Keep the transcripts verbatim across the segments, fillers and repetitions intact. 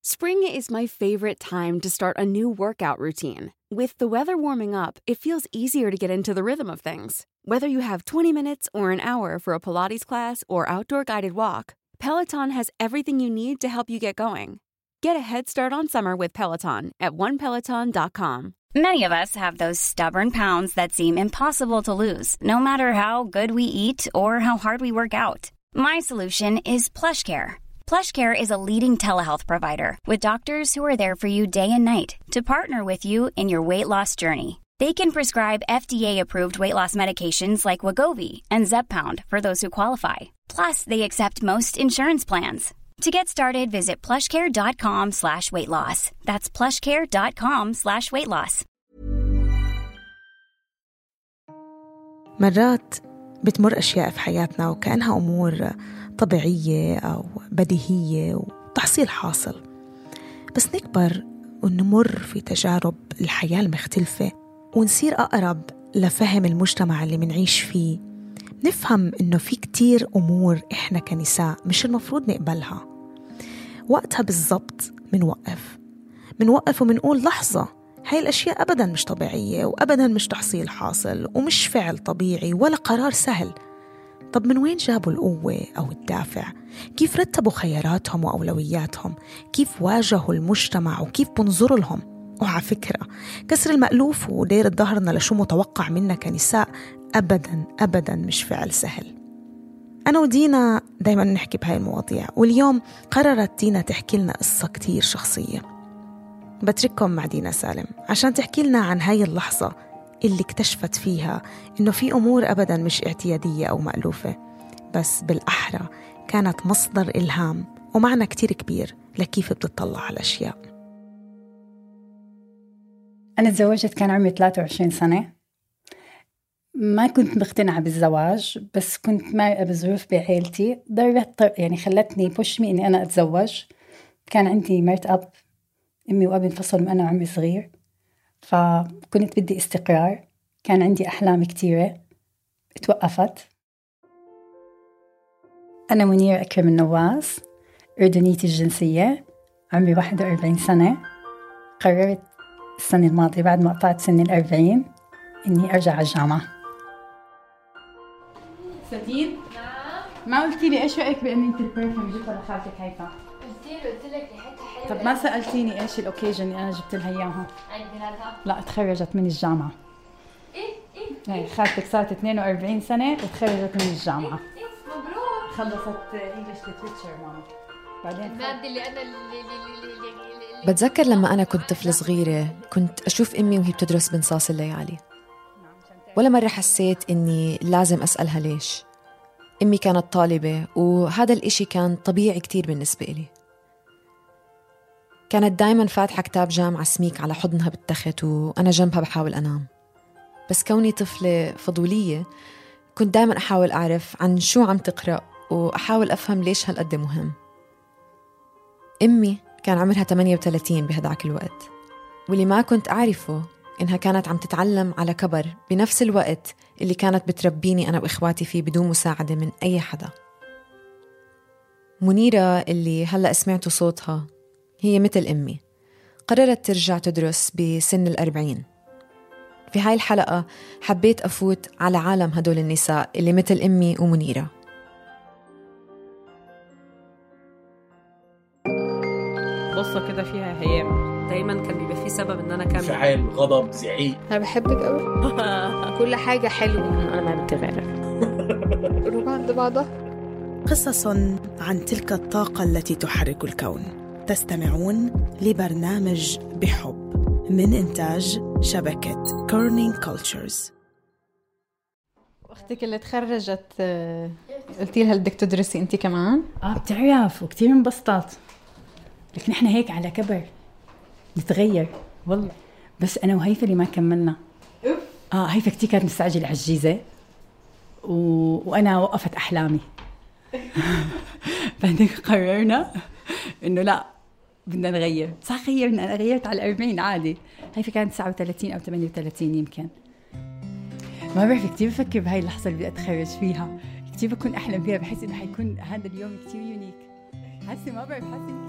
Spring is my favorite time to start a new workout routine. With the weather warming up, it feels easier to get into the rhythm of things. Whether you have twenty minutes or an hour for a Pilates class or outdoor guided walk, Peloton has everything you need to help you get going. Get a head start on summer with Peloton at one peloton dot com. Many of us have those stubborn pounds that seem impossible to lose, no matter how good we eat or how hard we work out. My solution is PlushCare. PlushCare is a leading telehealth provider with doctors who are there for you day and night to partner with you in your weight loss journey. They can prescribe F D A-approved weight loss medications like Wegovy and Zepbound for those who qualify. Plus, they accept most insurance plans. To get started, visit plushcare.com slash weight loss. That's plushcare.com slash weight loss. مرات بتمر أشياء في حياتنا وكأنها أمور طبيعية أو بديهية وتحصيل حاصل، بس نكبر ونمر في تجارب الحياة المختلفة ونصير أقرب لفهم المجتمع اللي منعيش فيه. نفهم إنه في كتير أمور إحنا كنساء مش المفروض نقبلها. وقتها بالضبط منوقف منوقف ومنقول لحظة، هاي الأشياء أبداً مش طبيعية وأبداً مش تحصيل حاصل ومش فعل طبيعي ولا قرار سهل. طب من وين جابوا القوة أو الدافع؟ كيف رتبوا خياراتهم وأولوياتهم؟ كيف واجهوا المجتمع وكيف بنظروا لهم؟ وعلى فكرة كسر المألوف ودير ظهرنا لشو متوقع منا كنساء أبداً أبداً مش فعل سهل. أنا ودينا دايماً نحكي بهاي المواضيع، واليوم قررت دينا تحكي لنا قصة كتير شخصية. بترككم مع دينا سالم عشان تحكي لنا عن هاي اللحظة اللي اكتشفت فيها إنه في أمور أبداً مش اعتيادية أو مألوفة، بس بالأحرى كانت مصدر إلهام ومعنى كتير كبير لكيف بتطلع على الأشياء. أنا تزوجت كان عمري ثلاثة وعشرين سنة. ما كنت مقتنعة بالزواج، بس كنت مرقة بظروف بعائلتي ضربت يعني خلتني بوشمي إني أنا أتزوج. كان عندي مرت أب، أمي وأبي انفصلوا وأنا عمري صغير، فكنت بدي استقرار. كان عندي أحلام كتيرة اتوقفت. أنا منيرة أكرم النواس، أردنية الجنسية، عمري واحد وأربعين سنة. قررت السنة الماضية بعد ما قطعت سن الأربعين إني أرجع على الجامعة. سديد؟ نعم؟ ما قلتي لي إيش رأيك بأني أنت البرفيوم جبتها لخالتك هيفا؟ قلت له قلت لك ريحتها حلوة. طب ما سألتيني إيش الأوكيجن اللي أنا جبت لها إياها؟ عيد ميلادها؟ لا، تخرجت من الجامعة. إيه إيه؟ هاي خالتك صارت اثنين وأربعين سنة وتخرجت من الجامعة. إيه مبروك. خلصت إنجليش ليتريتشر ماما. بعدين المادة اللي أنا اللي اللي اللي بتذكر لما أنا كنت طفلة صغيرة كنت أشوف أمي وهي بتدرس بنصاص الليالي. ولا مرة حسيت إني لازم أسألها ليش. أمي كانت طالبة وهذا الإشي كان طبيعي كتير بالنسبة إلي. كانت دايماً فاتحة كتاب جامعة سميك على حضنها بالتخت وأنا جنبها بحاول أنام. بس كوني طفلة فضولية كنت دايماً أحاول أعرف عن شو عم تقرأ وأحاول أفهم ليش هالقد مهم. أمي كان عمرها ثمانية وثلاثين بهداك الوقت، واللي ما كنت أعرفه إنها كانت عم تتعلم على كبر بنفس الوقت اللي كانت بتربيني أنا وإخواتي فيه بدون مساعدة من أي حدا. منيرة اللي هلأ سمعتوا صوتها هي مثل أمي، قررت ترجع تدرس بسن الأربعين. في هاي الحلقة حبيت أفوت على عالم هدول النساء اللي مثل أمي ومنيرة. قصة كده فيها هيام. دايما كان بيبقى فيه سبب ان انا كامل انفعال، غضب، زعيق. انا بحبك قوي. كل حاجه حلوه. انا ما بتغير. روح عند بعضها. قصص عن تلك الطاقة التي تحرك الكون. تستمعون لبرنامج بحب من إنتاج شبكة كورنينج كولتشرز. أختك اللي تخرجت قلتي لها بدك تدرسي أنت كمان؟ آه بتعرف وكتير انبسطت، لكن إحنا هيك على كبر نتغير والله. بس أنا وهيفا اللي ما كملنا. آه هيفا كتير كانت مستعجلة على الجيزة و... وأنا وقفت أحلامي. بعدين قررنا إنه لا بدنا نغير. صح غيرنا، أنا غيرت على الأربعين عادي. هيفا كانت تسعة وثلاثين أو ثمانية وثلاثين يمكن. ما بعرف، كتير بفكر بهاي اللحظة اللي بدي أتخرج فيها، كتير بكون أحلم فيها، بحس إنه حيكون هذا اليوم كتير يونيك.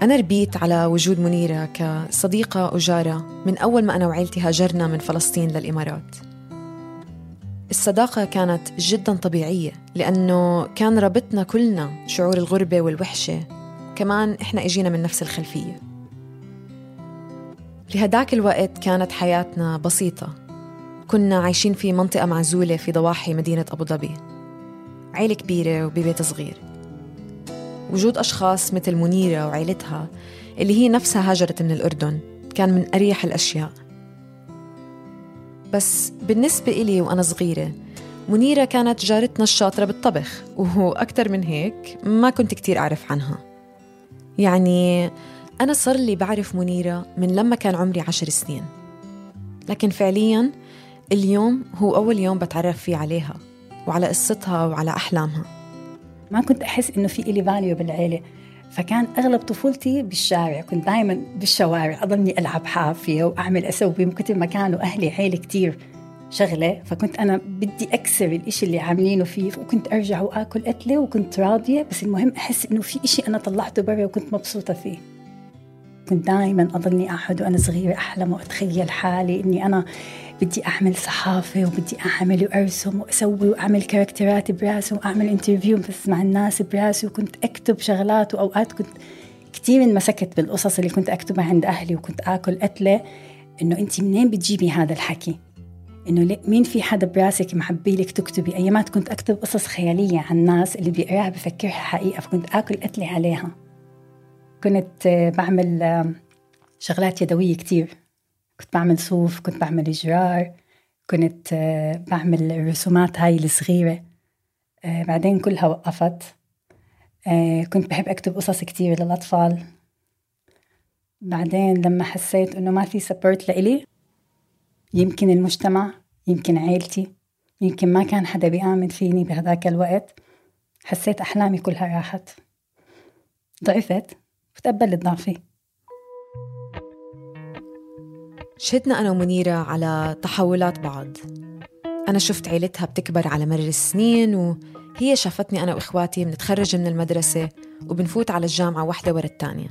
أنا ربيت على وجود منيرة كصديقة وجارة من أول ما أنا وعيلتي هاجرنا من فلسطين للإمارات. الصداقة كانت جداً طبيعية لأنه كان ربطنا كلنا شعور الغربة والوحشة، كمان إحنا إجينا من نفس الخلفية. لهداك الوقت كانت حياتنا بسيطة، كنا عايشين في منطقة معزولة في ضواحي مدينة أبو ظبي، عيلة كبيرة وببيت صغير. وجود أشخاص مثل منيرة وعيلتها اللي هي نفسها هاجرت من الأردن كان من أريح الأشياء. بس بالنسبة إلي وأنا صغيرة منيرة كانت جارتنا الشاطرة بالطبخ، وهو أكتر من هيك ما كنت كتير أعرف عنها. يعني أنا صار لي بعرف منيرة من لما كان عمري عشر سنين، لكن فعلياً اليوم هو أول يوم بتعرف فيه عليها وعلى قصتها وعلى أحلامها. ما كنت أحس إنه في إلي فاليو بالعيلة، فكان أغلب طفولتي بالشارع، كنت دايماً بالشوارع أضلني ألعب حافية وأعمل أسوي، من كتر ما كانوا أهلي عيلة كتير شغلة، فكنت أنا بدي أكسر الإشي اللي عاملينه فيه، وكنت أرجع وآكل أكلة وكنت راضية، بس المهم أحس إنه في إشي أنا طلعته برا وكنت مبسوطة فيه. كنت دايماً أضلني أحد وأنا صغيرة أحلم وأتخيل حالي إني أنا بدي أعمل صحافة وبدي أعمل وأرسم وأسوي وأعمل كاركترات براسي وأعمل انترفيو بس مع الناس براسي، وكنت أكتب شغلات، وأوقات كنت كتير انمسكت بالقصص اللي كنت أكتبها عند أهلي وكنت آكل قتلة إنه أنتي منين بتجيبي هذا الحكي، إنه مين في حدا براسك محبي لك تكتبي. أيامات كنت أكتب قصص خيالية عن الناس اللي بيقراها بفكرها حقيقة، فكنت آكل قتلة عليها. كنت بعمل شغلات يدوية كتير، كنت بعمل صوف، كنت بعمل جرار، كنت بعمل الرسومات هاي الصغيرة. بعدين كلها وقفت. كنت بحب أكتب قصص كتير للأطفال. بعدين لما حسيت إنه ما في سبورت لإلي، يمكن المجتمع، يمكن عيلتي، يمكن ما كان حدا بيآمن فيني بهذاك الوقت، حسيت أحلامي كلها راحت، ضعفت وتقبلت ضعفي. شهدنا أنا ومنيرة على تحولات بعض. أنا شفت عيلتها بتكبر على مر السنين، وهي شافتني أنا وإخواتي بنتخرج من المدرسة وبنفوت على الجامعة واحدة ورا التانية.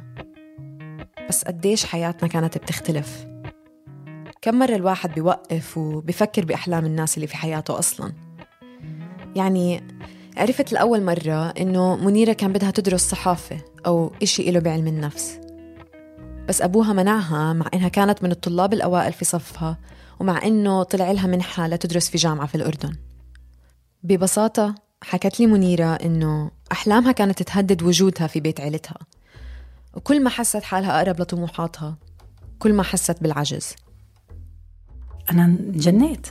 بس قديش حياتنا كانت بتختلف. كم مرة الواحد بيوقف وبيفكر بأحلام الناس اللي في حياته أصلاً. يعني عرفت لأول مرة إنه منيرة كان بدها تدرس صحافة أو إشي إله بعلم النفس، بس أبوها منعها مع إنها كانت من الطلاب الأوائل في صفها، ومع إنه طلع لها منحة لتدرس في جامعة في الأردن. ببساطة حكت لي منيرة إنه أحلامها كانت تهدد وجودها في بيت عيلتها، وكل ما حست حالها أقرب لطموحاتها كل ما حست بالعجز. أنا جنيت.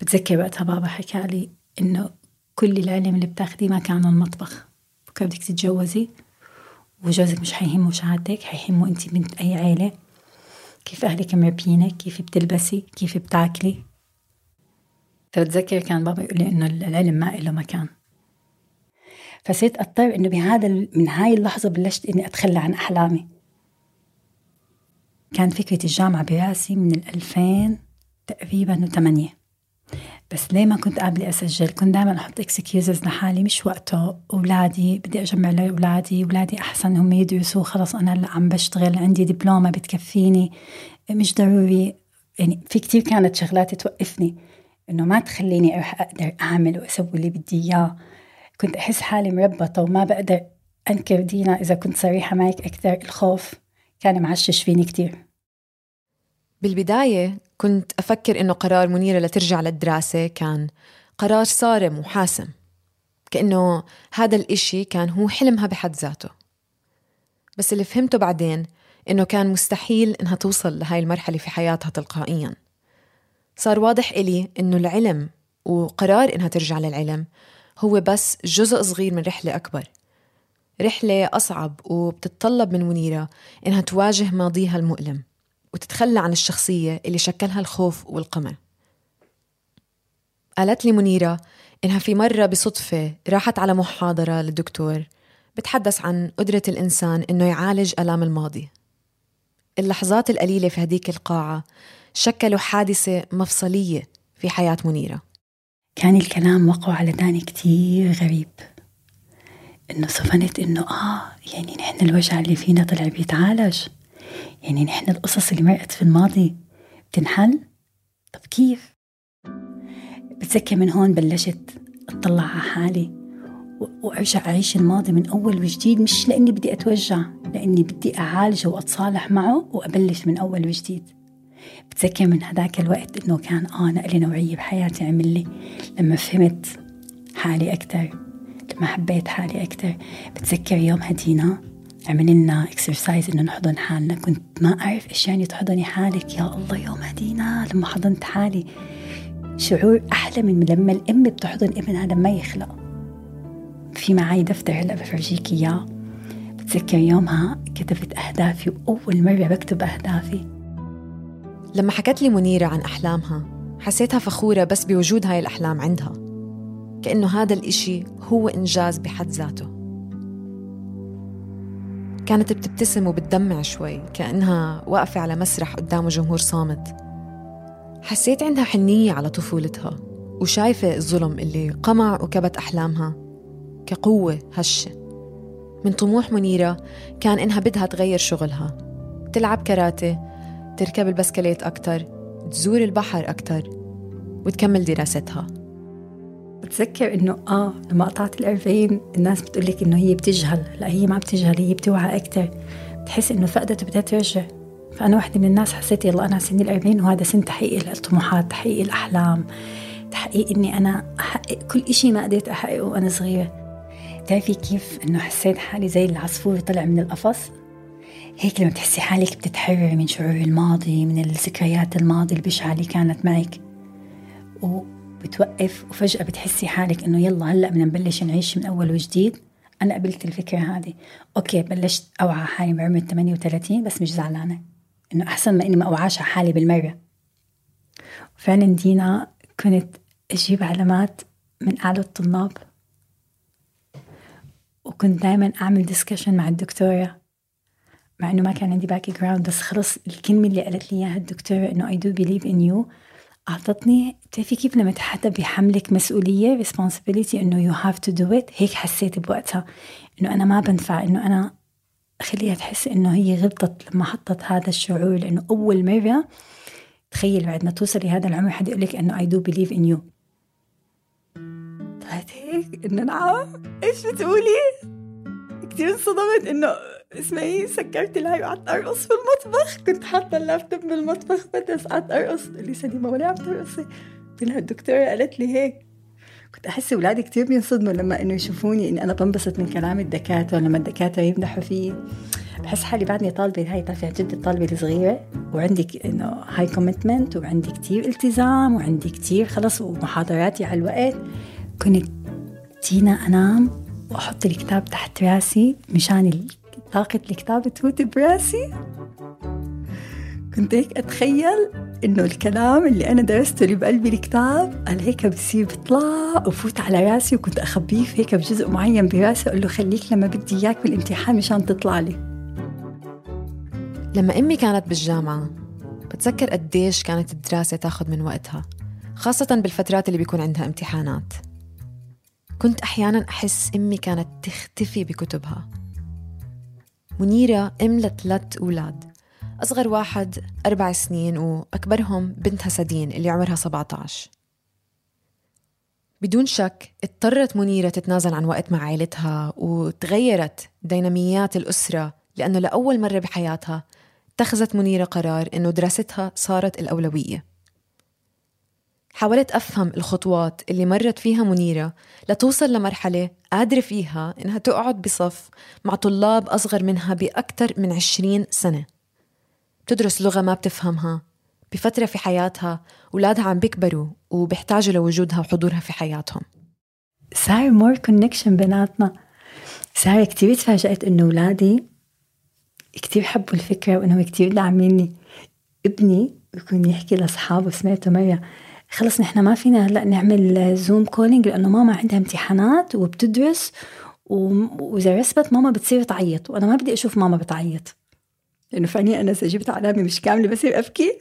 بتذكر وقتها بابا حكى لي إنه كل العلم اللي بتاخديه ما كان المطبخ، بكرة بدك تتجوزي وجوزك مش حيهمه شهادتك، حيهمه أنت بنت أي عيلة، كيف أهلك مربينك، كيف بتلبسي، كيف بتاكلي. فبتذكر كان بابا يقول لي إنه العلم ما إله مكان. فصرت أضطر إنه بهذا من هاي اللحظة بلشت إني أتخلى عن أحلامي. كان فكرة الجامعة براسي من الألفين تقريبا وثمانية، بس ليه ما كنت قابلة أسجل؟ كنت دائما أحط إكسكيوزز لحالي، مش وقته، أولادي بدي أجمع لأولادي، أولادي أحسن هم يدرسوا، خلص أنا هلا عم بشتغل، عندي دبلومة بتكفيني، مش ضروري. يعني في كتير كانت شغلات توقفني إنه ما تخليني أروح أقدر أعمل وأسوي اللي بدي إياه. كنت أحس حالي مربطة وما بقدر أنكر دينا. إذا كنت صريحة معك أكثر، الخوف كان معشش فيني كتير. بالبداية كنت أفكر إنه قرار منيرة لترجع للدراسة كان قرار صارم وحاسم، كأنه هذا الإشي كان هو حلمها بحد ذاته. بس اللي فهمته بعدين إنه كان مستحيل إنها توصل لهاي المرحلة في حياتها تلقائياً. صار واضح إلي إنه العلم وقرار إنها ترجع للعلم هو بس جزء صغير من رحلة أكبر، رحلة أصعب، وبتتطلب من منيرة إنها تواجه ماضيها المؤلم وتتخلى عن الشخصية اللي شكلها الخوف والقمع. قالت لي منيرة إنها في مرة بصدفة راحت على محاضرة للدكتور بتحدث عن قدرة الإنسان إنه يعالج آلام الماضي. اللحظات القليلة في هديك القاعة شكلوا حادثة مفصلية في حياة منيرة. كان الكلام وقع على داني كتير غريب، إنه صفنت إنه آه يعني نحن الوجع اللي فينا طلع بيتعالج، يعني نحن القصص اللي مرقت في الماضي بتنحل. طب كيف؟ بتذكر من هون بلشت أطلع على حالي وأرجع أعيش الماضي من أول وجديد، مش لأني بدي أتوجع، لأني بدي أعالجه وأتصالح معه وأبلش من أول وجديد. بتذكر من هذاك الوقت إنه كان آه نقلة نوعية بحياتي عمل لي لما فهمت حالي أكتر، لما حبيت حالي أكتر. بتذكر يوم هدينا عمل لنا اكسرسايز إنه نحضن حالنا، كنت ما أعرف إيش يعني تحضني حالك. يا الله يوم هدينا لما حضنت حالي شعور أحلى من لما الأم بتحضن ابنها لما يخلق. في معي دفتر هلأ بفرجيك إياه. بتذكر يومها كتبت أهدافي، وأول مرة بكتب أهدافي. لما حكت لي منيرة عن أحلامها حسيتها فخورة بس بوجود هاي الأحلام عندها، كأنه هذا الإشي هو إنجاز بحد ذاته. كانت بتبتسم وبتدمع شوي كأنها واقفة على مسرح قدام جمهور صامت. حسيت عندها حنية على طفولتها وشايفة الظلم اللي قمع وكبت أحلامها كقوة هشة. من طموح منيرة كان إنها بدها تغير شغلها، تلعب كاراتيه، تركب البسكليت أكتر، تزور البحر أكتر، وتكمل دراستها. بتذكر إنه آه لما قطعت الأربعين الناس بتقولك إنه هي بتجهل، لا هي ما بتجهل، هي بتوعى أكتر، بتحس إنه فقدت وبدها ترجع. فأنا واحدة من الناس حسيت يلا أنا سني الأربعين وهذا سن تحقيق الطموحات، تحقيق الأحلام، تحقيق إني أنا أحقق كل إشي ما قدرت أحققه وأنا صغيرة. تعرفي كيف إنه حسيت حالي زي العصفور طلع من القفص؟ هيك لما بتحسي حالك بتتحرر من شعور الماضي، من الذكريات الماضي البشعة اللي كانت معك، وبتوقف وفجأة بتحسي حالك إنه يلا هلأ بدنا نبلش نعيش من أول وجديد. أنا قبلت الفكرة هذه، أوكي بلشت أوعى حالي بعمر ثمانية وثلاثين، بس مش زعلانة، إنه أحسن ما إني ما أوعاش على حالي بالمرة. فعلا دينا كنت أجيب علامات من أعلى الطلاب، وكنت دائما أعمل ديسكشن مع الدكتورة، مع إنه ما كان عندي باك جراوند، بس خلص الكلمة اللي قالت لي إياها الدكتورة إنه I do believe in you أعطتني. بتعرفي كيف لما حدا بيحملك مسؤولية responsibility إنه you have to do it، هيك حسيت بوقتها إنه أنا ما بنفع، إنه أنا خليها تحس إنه هي غلطت لما حطت هذا الشعور. لأنه أول مرة تخيل بعد ما توصلي هذا العمر حد يقولك إنه I do believe in you. طلعت هيك إنه نعم إيش بتقولي؟ كتير انصدمت إنه اسمعي سكرت الهاي وقعدت أرقص في المطبخ. كنت حاطة اللابتوب بالمطبخ بس قعدت أرقص. قال لي سليمة ولا عم ترقصي؟ قلت لها الدكتورة قالت لي هيك. كنت أحس أولادي كتير بينصدموا لما إنه يشوفوني إني أنا بنبسط من كلام الدكاترة، لما الدكاترة يمدحوا فيه. بحس حالي بعدني طالبة، هاي تعرفي جد الطالبة الصغيرة وعندك إنه هاي كوميتمنت وعندي كتير التزام وعندي كتير خلص ومحاضراتي على الوقت. كنت دينا أنام وأحط الكتاب تحت راسي مشان طاقة الكتاب تفوت براسي. كنت هيك أتخيل إنه الكلام اللي أنا درسته اللي بقلبي الكتاب قال هيك بصير بطلع وفوت على راسي، وكنت أخبيه هيك بجزء معين براسي أقول له خليك لما بدي إياك بالامتحان مشان تطلع لي. لما أمي كانت بالجامعة بتذكر قديش كانت الدراسة تاخد من وقتها، خاصة بالفترات اللي بيكون عندها امتحانات. كنت أحياناً أحس أمي كانت تختفي بكتبها. منيرة أم لثلاث أولاد، أصغر واحد أربع سنين وأكبرهم بنتها سدين اللي عمرها سبعة عشر. بدون شك اضطرت منيرة تتنازل عن وقت مع عائلتها، وتغيرت ديناميات الأسرة، لأنه لأول مرة بحياتها اتخذت منيرة قرار إنه دراستها صارت الأولوية. حاولت أفهم الخطوات اللي مرت فيها منيرة لتوصل لمرحلة قادرة فيها إنها تقعد بصف مع طلاب أصغر منها بأكثر من عشرين سنة، بتدرس لغة ما بتفهمها بفترة في حياتها أولادها عم بيكبروا وبيحتاجوا لوجودها وحضورها في حياتهم. صار مور كونكشن بيناتنا. صار كتير تفاجأت إنه أولادي كتير حبوا الفكرة وإنهم كتير داعميني. ابني يكون يحكي لأصحابه، سمعته مرة خلص نحن ما فينا هلأ نعمل زوم كولينج لأنه ماما عندها امتحانات وبتدرس، وإذا رسبت ماما بتصير تعيط وأنا ما بدي أشوف ماما بتعيط، لأنه فاني أنا سجبت علامة مش كاملة بصير أبكي.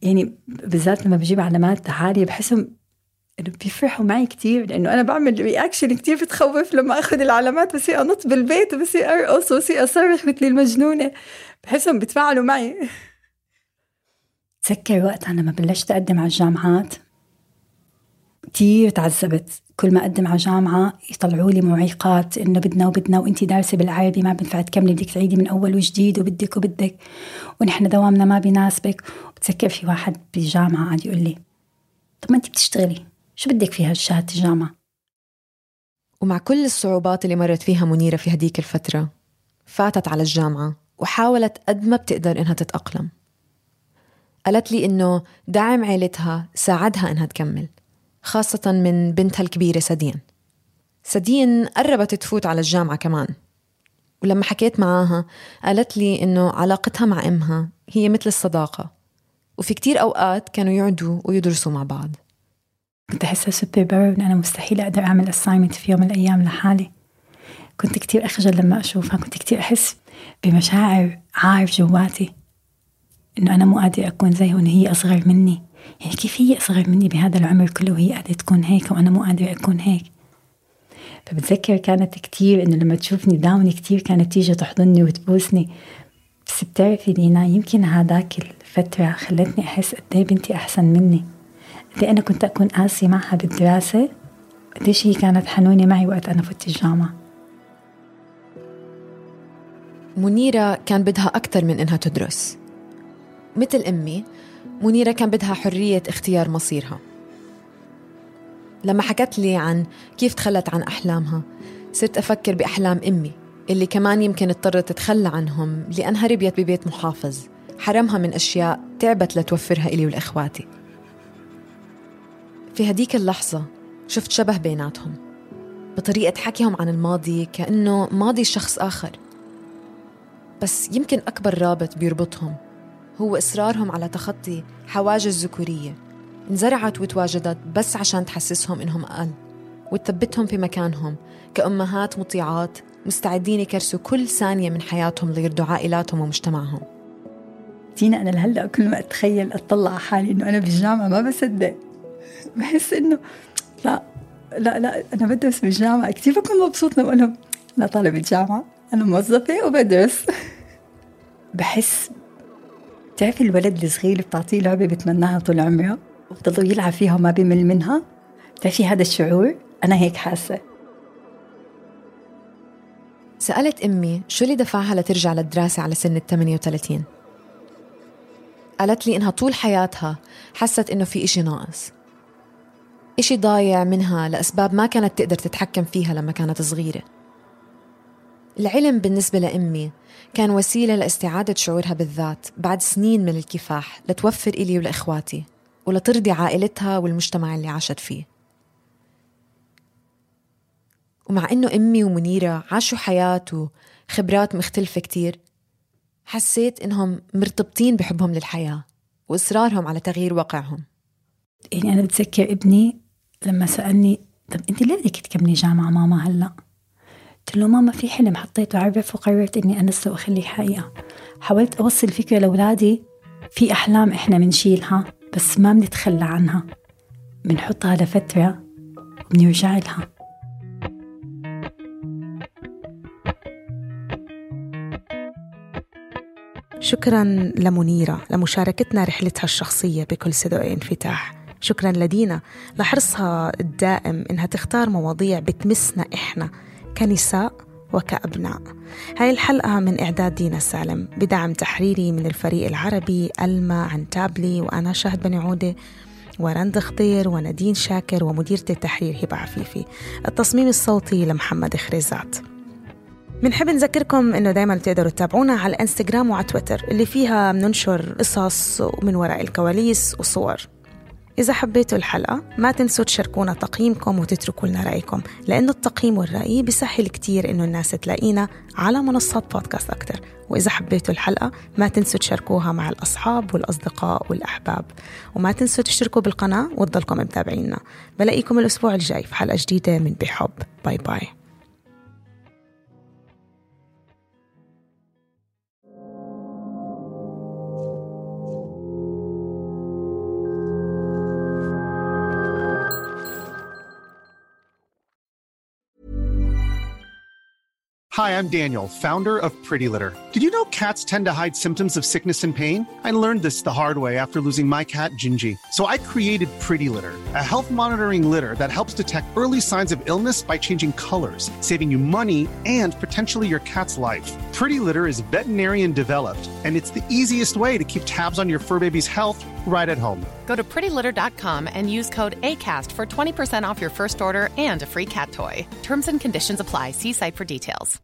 يعني بالذات لما بجيب علامات عالية بحسهم إنه بيفرحوا معي كتير، لأنه أنا بعمل رياكشن كتير بتخوف لما أخذ العلامات، بس أنط بالبيت وبس أرقص وبس أصرخ مثل المجنونة، بحسهم بيتفاعلوا معي. تذكر وقت أنا ما بلشت أقدم على الجامعات كتير تعذبت. كل ما أقدم على جامعة يطلعوا لي معيقات، إنه بدنا وبدنا وإنتي دارسة بالعربي ما بنفع تكملي، بدك تعيدي من أول وجديد وبدك وبدك ونحن دوامنا ما بيناسبك. وبتذكر في واحد بجامعة قاعد يقول لي طب ما أنتي بتشتغلي، شو بدك فيها شهادة الجامعة؟ ومع كل الصعوبات اللي مرت فيها منيرة في هديك الفترة، فاتت على الجامعة وحاولت قد ما بتقدر إنها تتأقلم. قالت لي إنه دعم عيلتها ساعدها إنها تكمل، خاصة من بنتها الكبيرة سدين. سدين قربت تفوت على الجامعة كمان، ولما حكيت معاها قالت لي إنه علاقتها مع أمها هي مثل الصداقة، وفي كتير أوقات كانوا يقعدوا ويدرسوا مع بعض. كنت أحسها سوبر باور إن أنا مستحيل أقدر أعمل أسايمنت في يوم من الأيام لحالي. كنت كتير أخجل لما أشوفها، كنت كتير أحس بمشاعر عار جواتي إنه أنا مو قادرة أكون زيها وإن هي أصغر مني. يعني كيف هي أصغر مني بهذا العمر كله وهي قادرة تكون هيك وأنا مو قادرة أكون هيك؟ فبتذكر كانت كتير إنه لما تشوفني داوني كتير كانت تيجي تحضني وتبوسني. بس بتعرفي دينا، يمكن هذاك الفترة خلتني أحس قدي بنتي أحسن مني، قدي أنا كنت أكون قاسي معها بالدراسة، قديش هي كانت حنونة معي وقت أنا فوت الجامعة. منيرة كان بدها أكتر من إنها تدرس. مثل أمي، منيرة كان بدها حرية اختيار مصيرها. لما حكت لي عن كيف تخلت عن أحلامها، صرت أفكر بأحلام أمي اللي كمان يمكن اضطرت تتخلى عنهم لأنها ربيت ببيت محافظ حرمها من أشياء تعبت لتوفرها إلي والإخواتي. في هديك اللحظة شفت شبه بيناتهم بطريقة حكيهم عن الماضي، كأنه ماضي شخص آخر. بس يمكن أكبر رابط بيربطهم هو إصرارهم على تخطي حواجز ذكورية انزرعت وتواجدت بس عشان تحسسهم إنهم أقل وتثبتهم في مكانهم كأمهات مطيعات مستعدين يكرسوا كل ثانية من حياتهم ليرضوا عائلاتهم ومجتمعهم. دينا، أنا لهلأ كل ما أتخيل أطلع على حالي إنه أنا بالجامعة ما بصدق، بحس إنه لا لا لا أنا بدرس بالجامعة. كتير بكون مبسوط لما أقولهم أنا طالب الجامعة، أنا موظفة وبدرس. بحس تعرفي الولد الصغير بتعطيه لعبة بتمناها طول عمره وبتضل يلعب فيها وما بيمل منها، تعرفي هذا الشعور؟ أنا هيك حاسة. سألت أمي شو اللي دفعها لترجع للدراسة على سن الثمانية وثلاثين. قالت لي إنها طول حياتها حست إنه في إشي ناقص، إشي ضايع منها لأسباب ما كانت تقدر تتحكم فيها لما كانت صغيرة. العلم بالنسبة لأمي كان وسيلة لاستعادة شعورها بالذات بعد سنين من الكفاح لتوفر إلي ولإخواتي ولترضي عائلتها والمجتمع اللي عاشت فيه. ومع إنه أمي ومنيرة عاشوا حياة وخبرات مختلفة كتير، حسيت إنهم مرتبطين بحبهم للحياة وإصرارهم على تغيير واقعهم. يعني أنا بتذكر ابني لما سألني طب أنت ليه بدك تكملي جامعة ماما هلأ؟ قلت له ماما في حلم حطيته عرف وقررت إني أنسه وأخليه حقيقة. حاولت أوصل فكرة لأولادي في أحلام إحنا منشيلها بس ما بنتخلى عنها، بنحطها لفترة وبنرجع لها. شكراً لمنيرة لمشاركتنا رحلتها الشخصية بكل صدق وانفتاح. شكراً لدينا لحرصها الدائم إنها تختار مواضيع بتمسنا إحنا كنساء وكأبناء. هاي الحلقة من إعداد دينا سالم بدعم تحريري من الفريق العربي ألما عن تابلي وأنا شاهد بني عودة ورند خضير ونادين شاكر ومديرة التحرير هبة عفيفي. التصميم الصوتي لمحمد خريزات. منحب نذكركم إنه دايما تقدروا تتابعونا على الانستغرام وعلى تويتر اللي فيها مننشر قصص ومن وراء الكواليس وصور. إذا حبيتوا الحلقة ما تنسوا تشاركونا تقييمكم وتتركوا لنا رأيكم، لأنه التقييم والرأي بيسهل كتير إنه الناس تلاقينا على منصات بودكاست أكتر. وإذا حبيتوا الحلقة ما تنسوا تشاركوها مع الأصحاب والأصدقاء والأحباب، وما تنسوا تشتركوا بالقناة وتضلكم متابعينا. بلاقيكم الأسبوع الجاي في حلقة جديدة من بحب. باي باي. Hi, I'm Daniel, founder of Pretty Litter. Did you know cats tend to hide symptoms of sickness and pain? I learned this the hard way after losing my cat, Gingy. So I created Pretty Litter, a health monitoring litter that helps detect early signs of illness by changing colors, saving you money and potentially your cat's life. Pretty Litter is veterinarian developed, and it's the easiest way to keep tabs on your fur baby's health right at home. Go to pretty litter dot com and use code ACAST for twenty percent off your first order and a free cat toy. Terms and conditions apply. See site for details.